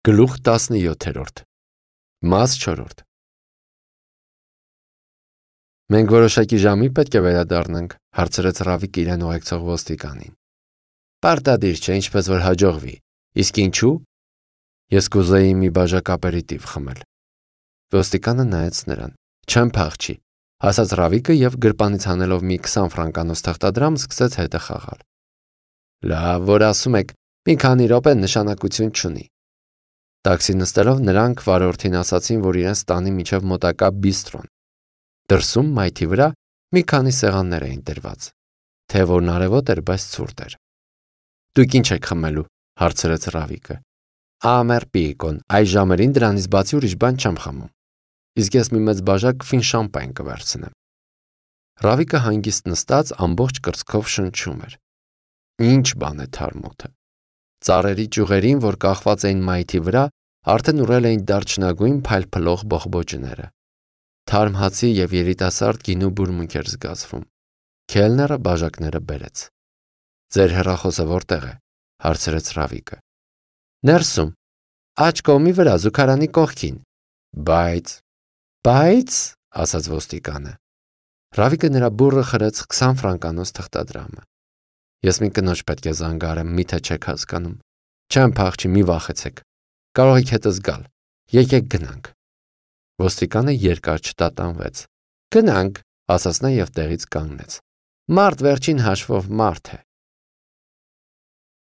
Գլուխ 17 Մաս 4 Մենք որոշակի ժամի պետք է վերադառնանք, հարցրեց Ռավիկը իրեն ուղեկցող ոստիկանին։ Պարտադիր չէ, ինչպես որ հաջողվի։ Իսկ ինչու՞։ Ես կուզեի մի բաժակ ապերիտիվ խմել։ Ոստիկանը նայեց նրան։ Չեմ փախչի, ասաց Ռավիկը եւ գրպանից հանելով մի 20 ֆրանկանոց թղթադրամ սկսեց հետը խաղալ։ Լավ, որ ասում եք, մի քանի րոպե նշանակություն չունի։ Տաքսի նստելով նրանք վարորդին ասացին, որ իրենց տանի միջև մոտակա բիստրոն։ Դրսում մայթի վրա մի քանի սեղաններ էին դրված։ Թեևորն արևոտ էր, բայց ցուրտ էր։ Դուք ինչ եք խմելու, հարցրեց Ռավիկը։ Ամեր պիկոն, այս ժամերին դրանից բացի ուրիշ բան չեմ խմում։ Իսկ ես մի մեծ բաժակ ֆին շամպայն կվերցնեմ։ Ռավիկը հանգիստ նստած ամբողջ կրծքով շնչում էր։ Ինչ բան է թարմոթը։ Ծառերի ճյուղերին, որ կախված էին մայթի վրա, արդեն ուռել էին դարչնագույն փայլփլող բողբոջները։ Թարմ հացի եւ երիտասարդ գինու բուրմունք էր զգացվում։ Քելները բաժակները բերեց։ Ձեր հեռախոսը որտեղ է, հարցրեց Ռավիկը։ Ներսում, աջ կողմի վրա զուգարանի կողքին։ Բայց, ասաց ոստիկանը։ Ռավիկը նրա բուրը խրեց 20 ֆրանկանոց թղթադրամը։ Ես մի կնոջ պետք է զանգարեմ, միթե չեք հասկանում։ Չեմ փախչի, մի վախեցեք։ Կարող եք հետս գալ։ Եկեք գնանք։ Ոստիկանը երկար չտատանվեց։ Գնանք, ասաց նա եւ տեղից կանգնեց։ Մարդ վերջին հաշվով մարդ է։